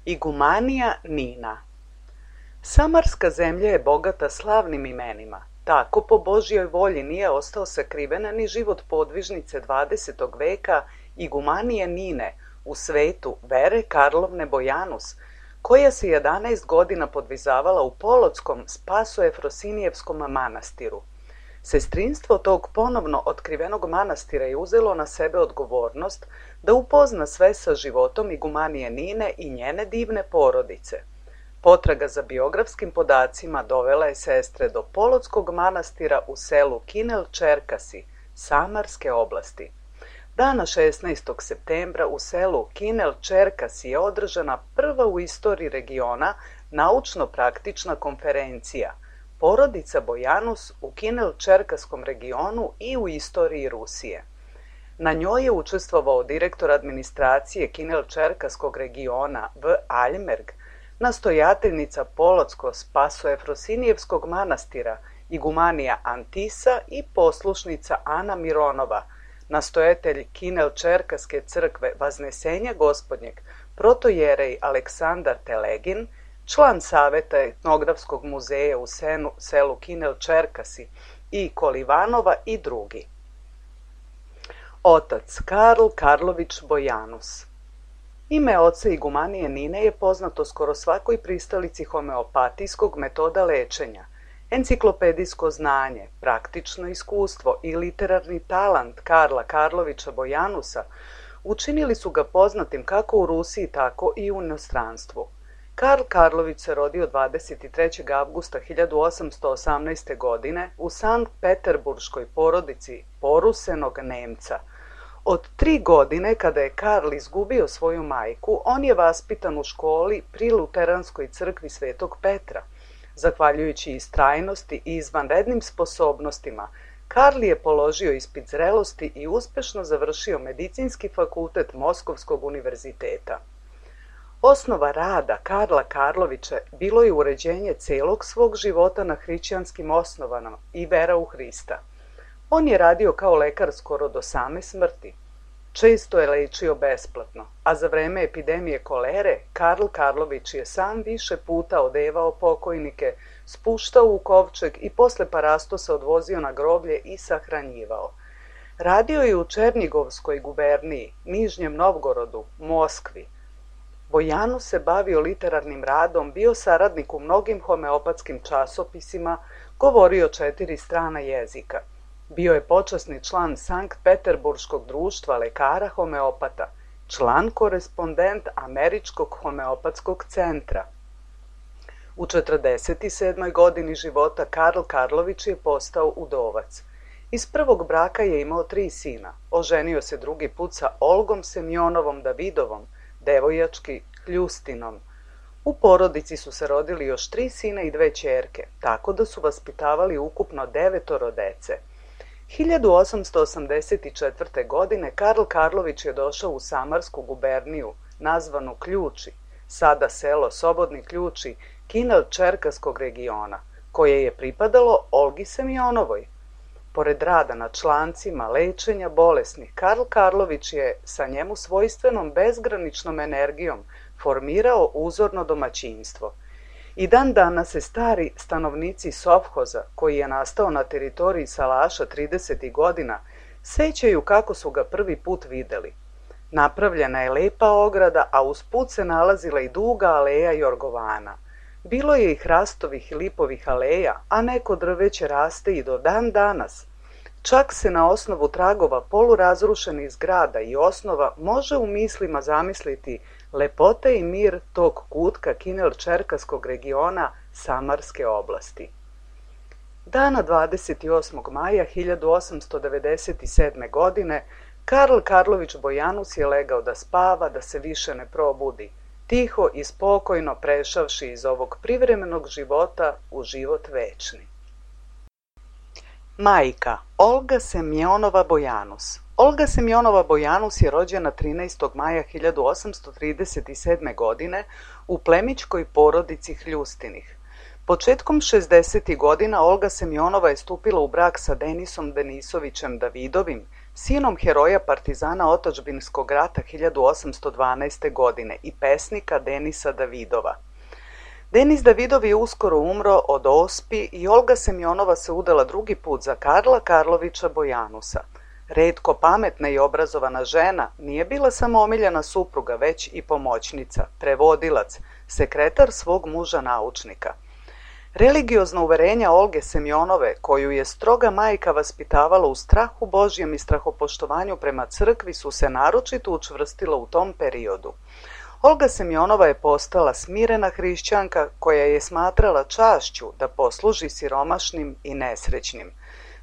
Igumanija Nina. Samarska zemlja je bogata slavnim imenima. Tako po Božjoj volji nije ostao sakriven ni život podvižnice 20. veka Igumanije Nine u svetu Vere Karlovne Bojanus, koja se 11 godina podvizavala u Polotskom Spasoefrosinijevskom manastiru. Sestrinstvo tog ponovno otkrivenog manastira je uzelo na sebe odgovornost da upozna sve sa životom Igumanije Nine i njene divne porodice. Potraga za biografskim podacima dovela je sestre do Polotskog manastira u selu Kinel Čerkasi, Samarske oblasti. Dana 16. septembra u selu Kinel Čerkasi je održana prva u istoriji regiona naučno-praktična konferencija Porodica Bojanus u Kinel-Čerkaskom regionu i u istoriji Rusije. Na njoj je učestvovao direktor administracije Kinel-Čerkaskog regiona V. Aljmerg, nastojateljnica Polotsko-Spasoefrosinijevskog manastira Igumanija Antisa i poslušnica Ana Mironova, nastojatelj Kinel-Čerkaske crkve Vaznesenja Gospodnjeg, protojerej Aleksandar Telegin, član saveta etnografskog muzeja u selu Kinel-Čerkasi i Kolivanova i drugi. Otac Karl Karlović Bojanus. Ime oca Igumanije Nine je poznato skoro svakoj pristalici homeopatijskog metoda lečenja. Enciklopedijsko znanje, praktično iskustvo i literarni talant Karla Karlovića Bojanusa učinili su ga poznatim kako u Rusiji, tako i u inostranstvu. Karl Karlović se rodio 23. avgusta 1818. godine u Sankt-Peterburškoj porodici porusenog Nemca. Od 3 godine, kada je Karl izgubio svoju majku, on je vaspitan u školi pri Luteranskoj crkvi Svetog Petra. Zahvaljujući istrajnosti i izvanrednim sposobnostima, Karl je položio ispit zrelosti i uspešno završio medicinski fakultet Moskovskog univerziteta. Osnova rada Karla Karlovića bilo je uređenje celog svog života na hrišćanskim osnovama i vera u Hrista. On je radio kao lekar skoro do same smrti. Često je lečio besplatno, a za vreme epidemije kolere Karl Karlović je sam više puta odevao pokojnike, spuštao u kovčeg i posle parastosa odvozio na groblje i sahranjivao. Radio je u Černigovskoj guberniji, Nižnjem Novgorodu, Moskvi. Bojanus se bavio literarnim radom, bio saradnik u mnogim homeopatskim časopisima, govorio 4 strana jezika. Bio je počasni član Sankt-Peterburškog društva lekara homeopata, član korespondent Američkog homeopatskog centra. U 47. godini života Karl Karlović je postao udovac. Iz prvog braka je imao 3 sina. Oženio se drugi put sa Olgom Semjonovom Davidovom, devojački Kljustinom. U porodici su se rodili još 3 sina i 2 ćerke, tako da su vaspitavali ukupno 9 dece. 1884. godine Karl Karlović je došao u Samarsku guberniju, nazvanu Ključi, sada selo Sobodni Ključi, Kinel-Čerkaskog regiona, koje je pripadalo Olgi Semjonovoj. Pored rada na člancima lečenja bolesnih, Karl Karlović je sa njemu svojstvenom bezgraničnom energijom formirao uzorno domaćinstvo. I dan danas se stari stanovnici Sovhoza, koji je nastao na teritoriji Salaša 30. godina, sećaju kako su ga prvi put videli. Napravljena je lepa ograda, a uz put se nalazila i duga aleja jorgovana. Bilo je i hrastovih i lipovih aleja, a neko drveće raste i do dan danas. Čak se na osnovu tragova polurazrušenih zgrada i osnova može u mislima zamisliti lepote i mir tog kutka Kinel-Čerkaskog regiona Samarske oblasti. Dana 28. maja 1897. godine Karl Karlović Bojanus je legao da spava, da se više ne probudi, tiho i spokojno prešavši iz ovog privremenog života u život večni. Majka Olga Semjonova Bojanus. Olga Semjonova Bojanus je rođena 13. maja 1837. godine u plemićkoj porodici Hljustinih. Početkom 60. godina Olga Semjonova je stupila u brak sa Denisom Denisovićem Davidovim, sinom heroja partizana otadžbinskog rata 1812. godine i pesnika Denisa Davidova. Denis Davidov je uskoro umro od ospi i Olga Semjonova se udala drugi put za Karla Karlovića Bojanusa. Retko pametna i obrazovana žena nije bila samo omiljena supruga, već i pomoćnica, prevodilac, sekretar svog muža naučnika. Religiozna uverenja Olge Semjonove, koju je stroga majka vaspitavala u strahu Božjem i strahopoštovanju prema crkvi, su se naročito učvrstila u tom periodu. Olga Semjonova je postala smirena hrišćanka koja je smatrala čašću da posluži siromašnim i nesrećnim.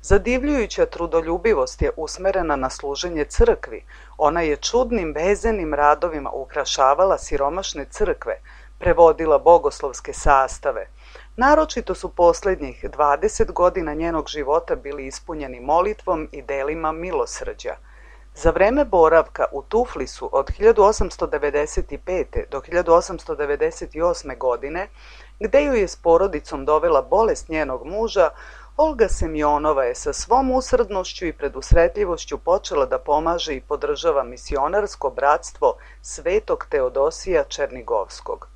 Zadivljujuća trudoljubivost je usmerena na služenje crkvi. Ona je čudnim vezenim radovima ukrašavala siromašne crkve, prevodila bogoslovske sastave. Naročito su posljednjih 20 godina njenog života bili ispunjeni molitvom i delima milosrđa. Za vreme boravka u Tuflisu od 1895. do 1898. godine, gde ju je s porodicom dovela bolest njenog muža, Olga Semjonova je sa svom usrdnošću i predusretljivošću počela da pomaže i podržava misionarsko bratstvo Svetog Teodosija Černigovskog.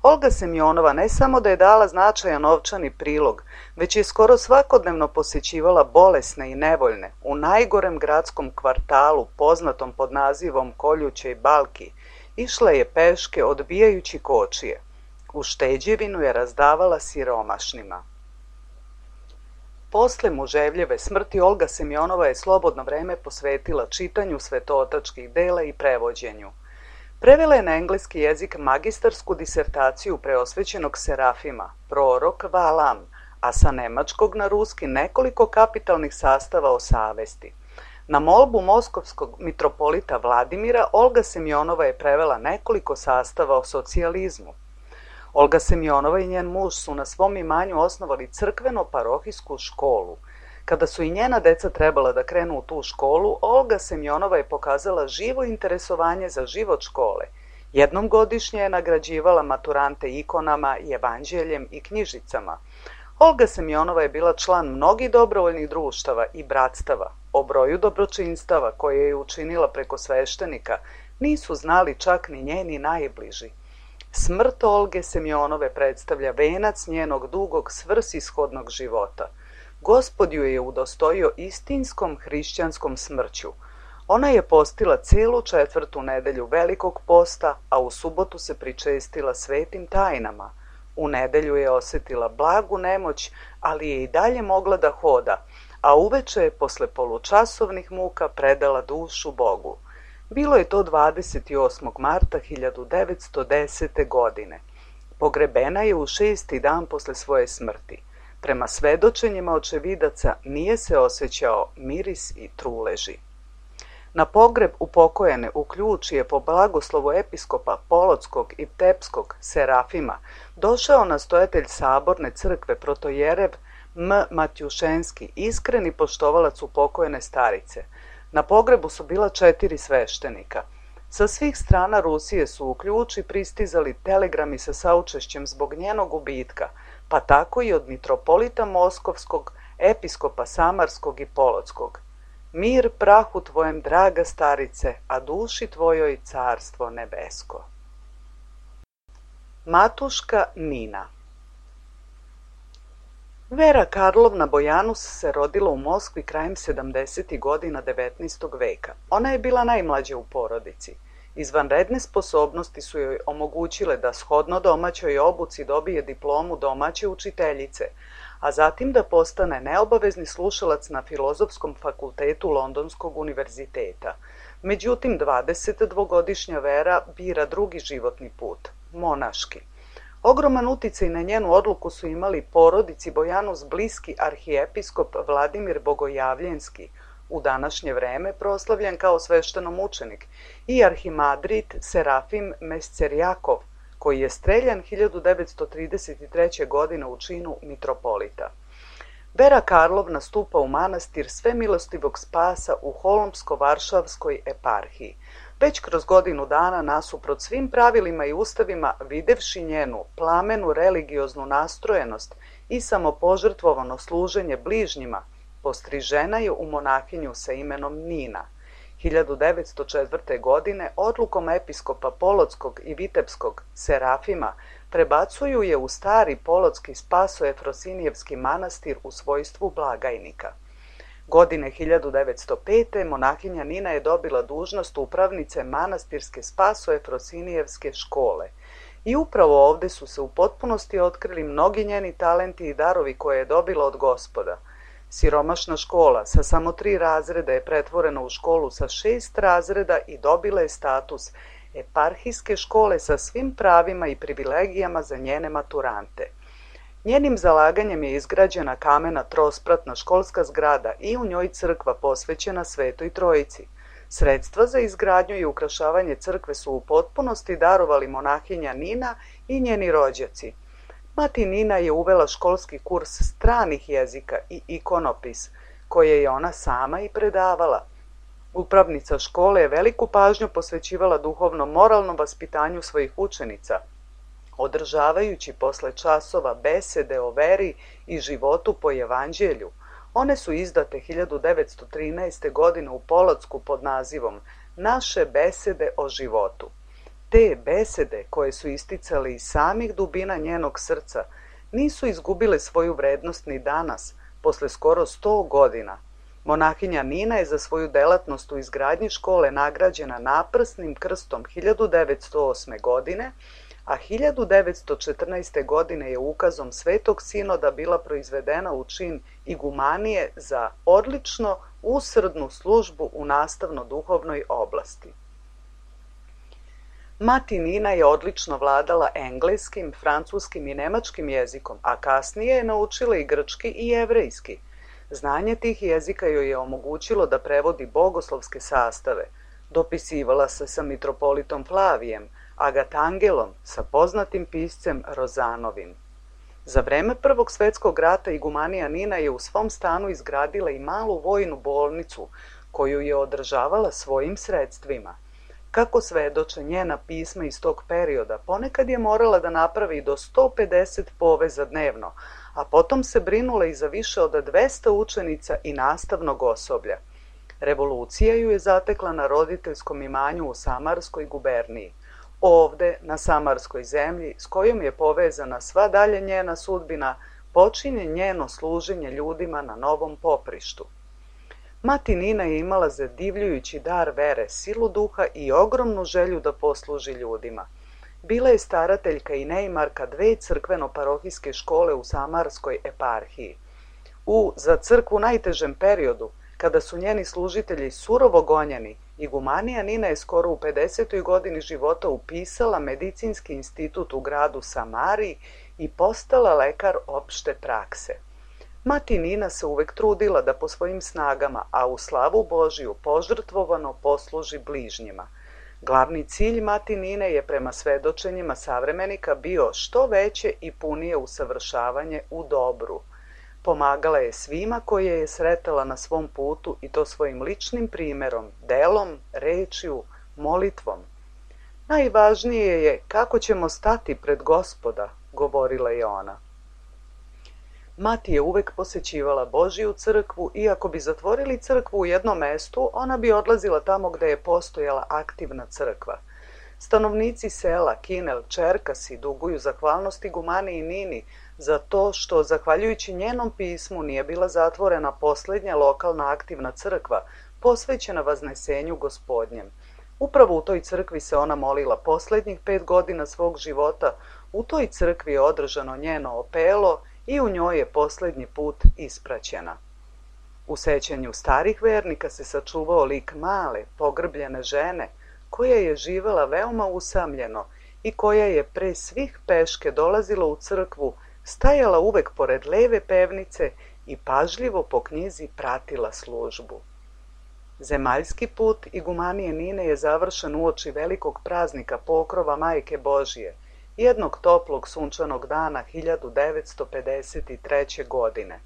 Olga Semjonova ne samo da je dala značajan novčani prilog, već je skoro svakodnevno posjećivala bolesne i nevoljne u najgorem gradskom kvartalu poznatom pod nazivom Koljućej Balki. Išla je peške odbijajući kočije. Ušteđevinu je razdavala siromašnima. Posle muževljeve smrti Olga Semjonova je slobodno vreme posvetila čitanju svetootačkih dela i prevođenju. Prevela je na engleski jezik magistarsku disertaciju preosvećenog Serafima, prorok Valam, a sa nemačkog na ruski nekoliko kapitalnih sastava o savesti. Na molbu moskovskog mitropolita Vladimira, Olga Semjonova je prevela nekoliko sastava o socijalizmu. Olga Semjonova i njen muž su na svom imanju osnovali crkveno-parohijsku školu. Kada su i njena deca trebala da krenu u tu školu, Olga Semjonova je pokazala živo interesovanje za život škole. Jednom godišnje je nagrađivala maturante ikonama, evanđeljem i knjižicama. Olga Semjonova je bila član mnogih dobrovoljnih društava i bratstava. O broju dobročinstava koje je učinila preko sveštenika nisu znali čak ni njeni najbliži. Smrt Olge Semjonove predstavlja venac njenog dugog svrsishodnog života. Gospod ju je udostojio istinskom hrišćanskom smrću. Ona je postila celu 4. nedelju Velikog posta, a u subotu se pričestila svetim tajnama. U nedelju je osjetila blagu nemoć, ali je i dalje mogla da hoda, a uveče je posle polučasovnih muka predala dušu Bogu. Bilo je to 28. marta 1910. godine. Pogrebena je u 6. dan posle svoje smrti. Prema svedočenjima očevidaca nije se osjećao miris i truleži. Na pogreb upokojene u Ključi je po blagoslovu episkopa Polotskog i Ptepskog Serafima došao nastojatelj saborne crkve protojerev M. Matjušenski, iskreni poštovalac upokojene starice. Na pogrebu su bila 4 sveštenika. Sa svih strana Rusije su u Ključi pristizali telegrami sa saučešćem zbog njenog gubitka, pa tako i od mitropolita Moskovskog, episkopa Samarskog i Polotskog. Mir prahu tvojem, draga starice, a duši tvojoj carstvo nebesko. Matuška Nina. Vera Karlovna Bojanus se rodila u Moskvi krajem 70. godina 19. veka. Ona je bila najmlađa u porodici. Izvanredne sposobnosti su joj omogućile da shodno domaćoj obuci dobije diplomu domaće učiteljice, a zatim da postane neobavezni slušalac na Filozofskom fakultetu Londonskog univerziteta. Međutim, 22-godišnja Vera bira drugi životni put, monaški. Ogroman uticaj na njenu odluku su imali porodici Bojanus bliski arhijepiskop Vladimir Bogojavljenski, u današnje vreme proslavljen kao sveštenomučenik, i arhimadrit Serafim Mescerjakov, koji je streljan 1933. godine u činu mitropolita. Vera Karlovna stupa u manastir Svemilostivog Spasa u Holmsko-Varšavskoj eparhiji. Već kroz godinu dana, nasuprot svim pravilima i ustavima, videvši njenu plamenu religioznu nastrojenost i samopožrtvovano služenje bližnjima, Postrižena je u monahinju sa imenom Nina. 1904. godine odlukom episkopa Polotskog i Vitebskog Serafima prebacuju je u stari polotski Spaso-Efrosinijevski manastir u svojstvu blagajnika. Godine 1905. monahinja Nina je dobila dužnost upravnice manastirske Spaso-Efrosinijevske škole. I upravo ovde su se u potpunosti otkrili mnogi njeni talenti i darovi koje je dobila od Gospoda. Siromašna škola sa samo 3 razreda je pretvorena u školu sa 6 razreda i dobila je status eparhijske škole sa svim pravima i privilegijama za njene maturante. Njenim zalaganjem je izgrađena kamena trospratna školska zgrada i u njoj crkva posvećena Svetoj Trojici. Sredstva za izgradnju i ukrašavanje crkve su u potpunosti darovali monahinja Nina i njeni rođaci. Mati Nina je uvela školski kurs stranih jezika i ikonopis, koje je ona sama i predavala. Upravnica škole je veliku pažnju posvećivala duhovno-moralnom vaspitanju svojih učenica, održavajući posle časova besede o veri i životu po evanđelju. One su izdate 1913. godine u Polocku pod nazivom Naše besede o životu. Te besede, koje su isticale iz samih dubina njenog srca, nisu izgubile svoju vrednost ni danas, posle skoro 100 godina. Monahinja Nina je za svoju delatnost u izgradnji škole nagrađena naprsnim krstom 1908. godine, a 1914. godine je ukazom Svetog Sinoda bila proizvedena u čin igumanije za odlično usrdnu službu u nastavno-duhovnoj oblasti. Mati Nina je odlično vladala engleskim, francuskim i nemačkim jezikom, a kasnije je naučila i grčki i jevrejski. Znanje tih jezika joj je omogućilo da prevodi bogoslovske sastave. Dopisivala se sa mitropolitom Flavijem, Agatangelom, sa poznatim piscem Rozanovim. Za vreme Prvog svetskog rata igumanija Nina je u svom stanu izgradila i malu vojnu bolnicu, koju je održavala svojim sredstvima. Kako svedoče njena pisma iz tog perioda, ponekad je morala da napravi do 150 poveza dnevno, a potom se brinula i za više od 200 učenica i nastavnog osoblja. Revolucija ju je zatekla na roditeljskom imanju u Samarskoj guberniji. Ovde, na Samarskoj zemlji, s kojom je povezana sva dalje njena sudbina, počinje njeno služenje ljudima na novom poprištu. Mati Nina je imala zadivljujući dar vere, silu duha i ogromnu želju da posluži ljudima. Bila je starateljka i neimarka 2 crkveno-parohijske škole u Samarskoj eparhiji. U za crkvu najtežem periodu, kada su njeni služitelji surovo gonjeni, igumanija Nina je skoro u 50. godini života upisala medicinski institut u gradu Samariji i postala lekar opšte prakse. Mati Nina se uvek trudila da po svojim snagama, a u slavu Božiju požrtvovano posluži bližnjima. Glavni cilj Mati Nine je prema svedočenjima savremenika bio što veće i punije usavršavanje u dobru. Pomagala je svima koje je sretala na svom putu i to svojim ličnim primerom, delom, rečju, molitvom. Najvažnije je kako ćemo stati pred Gospoda, govorila je ona. Mati je uvek posećivala Božiju crkvu i ako bi zatvorili crkvu u jednom mestu, ona bi odlazila tamo gde je postojala aktivna crkva. Stanovnici sela Kinel, Čerkasi duguju zahvalnost igumaniji Nini za to što, zahvaljujući njenom pismu, nije bila zatvorena poslednja lokalna aktivna crkva posvećena Vaznesenju Gospodnjem. Upravo u toj crkvi se ona molila poslednjih 5 godina svog života, u toj crkvi je održano njeno opelo i u njoj je poslednji put ispraćena. U sećanju starih vernika se sačuvao lik male, pogrbljene žene, koja je živela veoma usamljeno i koja je pre svih peške dolazila u crkvu, stajala uvek pored leve pevnice i pažljivo po knjizi pratila službu. Zemaljski put igumanije Nine je završen uoči velikog praznika Pokrova Majke Božije, jednog toplog sunčanog dana 1953. godine.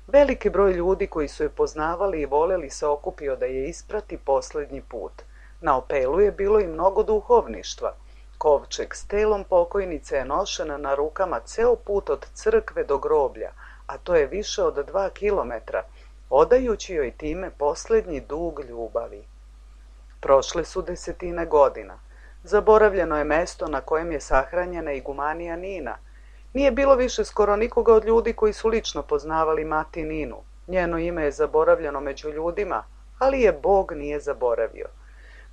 Veliki broj ljudi koji su je poznavali i voleli se okupio da je isprati poslednji put. Na opelu je bilo i mnogo duhovništva. Kovčeg s telom pokojnice je nošena na rukama ceo put od crkve do groblja, a to je više od 2 kilometra. odajući joj time posljednji dug ljubavi. Prošle su 10 godina. Zaboravljeno je mesto na kojem je sahranjena igumanija Nina. Nije bilo više skoro nikoga od ljudi koji su lično poznavali mati Ninu. Njeno ime je zaboravljeno među ljudima, ali je Bog nije zaboravio.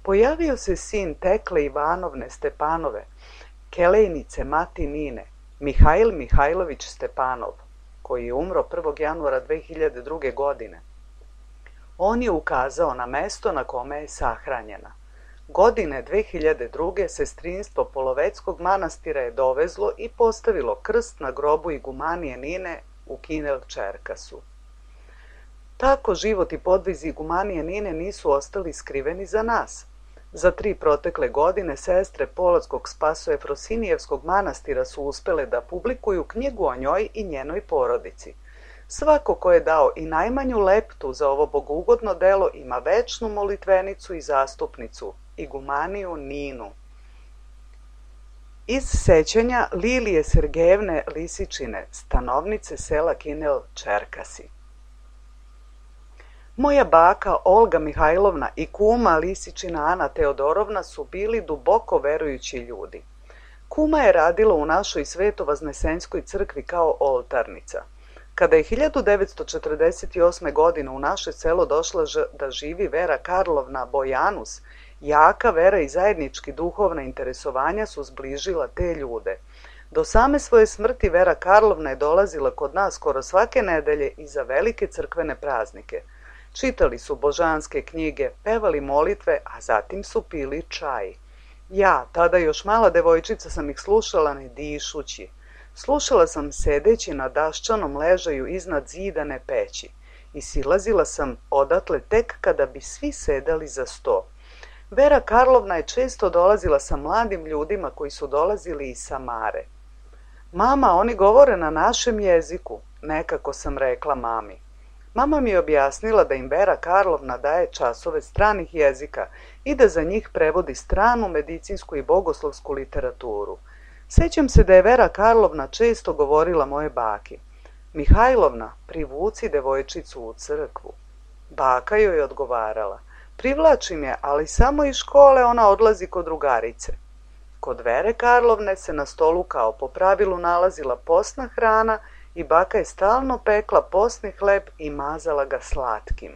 Pojavio se sin Tekle Ivanovne Stepanove, kelejnice mati Nine, Mihajl Mihajlović Stepanov, koji je umro 1. januara 2002. godine. On je ukazao na mesto na kome je sahranjena. Godine 2002. sestrinstvo Poloveckog manastira je dovezlo i postavilo krst na grobu igumanije Nine u Kinel Čerkasu. Tako život i podvizi igumanije Nine nisu ostali skriveni za nas. Za 3 protekle godine sestre Polotskog Spasoefrosinijevskog manastira su uspele da publikuju knjigu o njoj i njenoj porodici. Svako ko je dao i najmanju leptu za ovo bogougodno delo ima večnu molitvenicu i zastupnicu, igumaniju Ninu. Iz sećanja Lilije Sergejevne Lisičine, stanovnice sela Kinel Čerkasi. Moja baka Olga Mihajlovna i kuma Lisičina Ana Teodorovna su bili duboko verujući ljudi. Kuma je radila u našoj Svetovaznesenskoj crkvi kao oltarnica. Kada je 1948. godine u naše selo došla da živi Vera Karlovna Bojanus, jaka vera i zajednički duhovna interesovanja su zbližila te ljude. Do same svoje smrti Vera Karlovna je dolazila kod nas skoro svake nedelje i za velike crkvene praznike. Čitali su božanske knjige, pevali molitve, a zatim su pili čaj. Ja, tada još mala devojčica, sam ih slušala ne dišući. Slušala sam sedeći na daščanom ležaju iznad zidane peći i silazila sam odatle tek kada bi svi sedali za sto. Vera Karlovna je često dolazila sa mladim ljudima koji su dolazili iz Samare. Mama, oni govore na našem jeziku, nekako sam rekla mami. Mama mi je objasnila da im Vera Karlovna daje časove stranih jezika i da za njih prevodi stranu medicinsku i bogoslovsku literaturu. Sećam se da je Vera Karlovna često govorila moje baki: Mihajlovna, privuci devojčicu u crkvu. Baka joj je odgovarala: privlačim je, ali samo iz škole ona odlazi kod drugarice. Kod Vere Karlovne se na stolu kao po pravilu nalazila posna hrana i baka je stalno pekla posni hleb i mazala ga slatkim.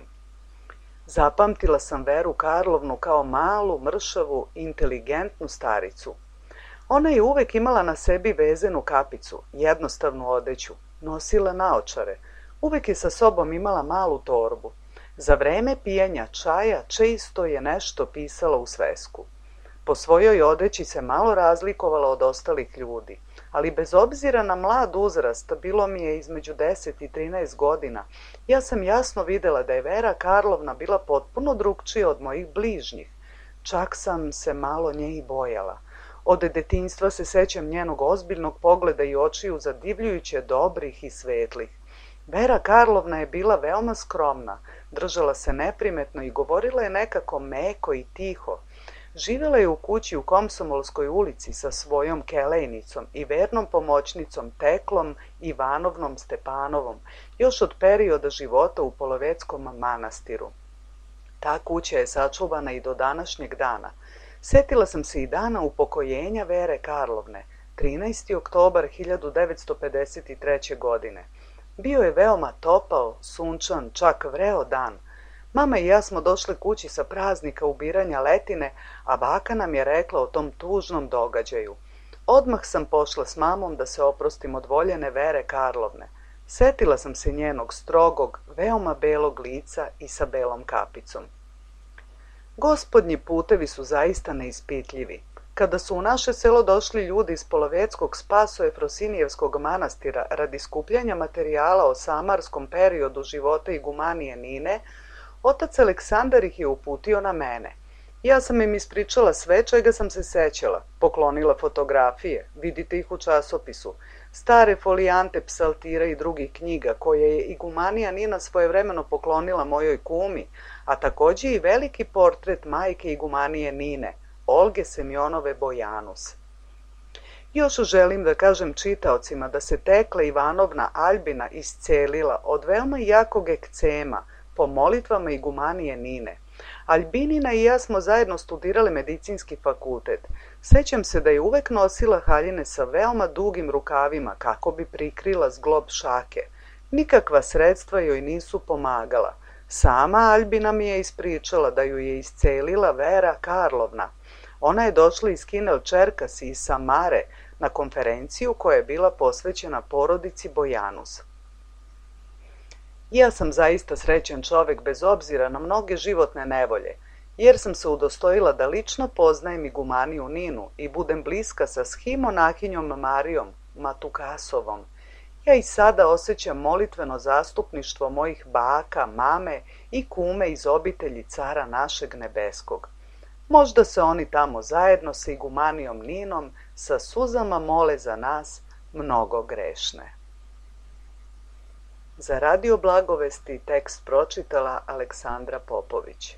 Zapamtila sam Veru Karlovnu kao malu, mršavu, inteligentnu staricu. Ona je uvek imala na sebi vezenu kapicu, jednostavnu odeću, nosila naočare, uvek je sa sobom imala malu torbu. Za vreme pijenja čaja često je nešto pisala u svesku. Po svojoj odeći se malo razlikovala od ostalih ljudi, ali bez obzira na mlad uzrast, bilo mi je između 10 i 13 godina, ja sam jasno videla da je Vera Karlovna bila potpuno drugčija od mojih bližnjih. Čak sam se malo nje i bojala. Od detinjstva se sećam njenog ozbiljnog pogleda i očiju zadivljujuće dobrih i svetlih. Vera Karlovna je bila veoma skromna, držala se neprimetno i govorila je nekako meko i tiho. Živjela je u kući u Komsomolskoj ulici sa svojom kelejnicom i vernom pomoćnicom Teklom Ivanovnom Stepanovom, još od perioda života u Poloveckom manastiru. Ta kuća je sačuvana i do današnjeg dana. Setila sam se i dana upokojenja Vere Karlovne, 13. oktobar 1953. godine. Bio je veoma topao, sunčan, čak vreo dan. Mama i ja smo došli kući sa praznika ubiranja letine, a baka nam je rekla o tom tužnom događaju. Odmah sam pošla s mamom da se oprostim od voljene Vere Karlovne. Setila sam se njenog strogog, veoma belog lica i sa belom kapicom. Gospodnji putevi su zaista neispitljivi. Kada su u naše selo došli ljudi iz Poloveckog Spasoefrosinijevskog manastira radi skupljanja materijala o samarskom periodu života igumanije Nine, otac Aleksandar ih je uputio na mene. Ja sam im ispričala sve čega sam se sećala, poklonila fotografije, vidite ih u časopisu, stare folijante psaltira i drugih knjiga koje je igumanija Nina svojevremeno poklonila mojoj kumi, a takođe i veliki portret majke igumanije Nine, Olge Semjonove Bojanus. Još želim da kažem čitaocima da se Tekla Ivanovna Albina iscelila od veoma jakog ekcema, po molitvama igumanije Nine. Albinina i ja smo zajedno studirali medicinski fakultet. Sećam se da je uvek nosila haljine sa veoma dugim rukavima kako bi prikrila zglob šake. Nikakva sredstva joj nisu pomagala. Sama Albina mi je ispričala da ju je iscelila Vera Karlovna. Ona je došla iz Kinel Čerkas i iz Samare na konferenciju koja je bila posvećena porodici Bojanus. Ja sam zaista srećan čovek bez obzira na mnoge životne nevolje, jer sam se udostojila da lično poznajem igumaniju Ninu i budem bliska sa schimonahinjom Marijom Matukasovom. Ja i sada osjećam molitveno zastupništvo mojih baka, mame i kume iz obitelji cara našeg nebeskog. Možda se oni tamo zajedno sa igumanijom Ninom sa suzama mole za nas, mnogo grešne. Za Radio Blagovesti tekst pročitala Aleksandra Popović.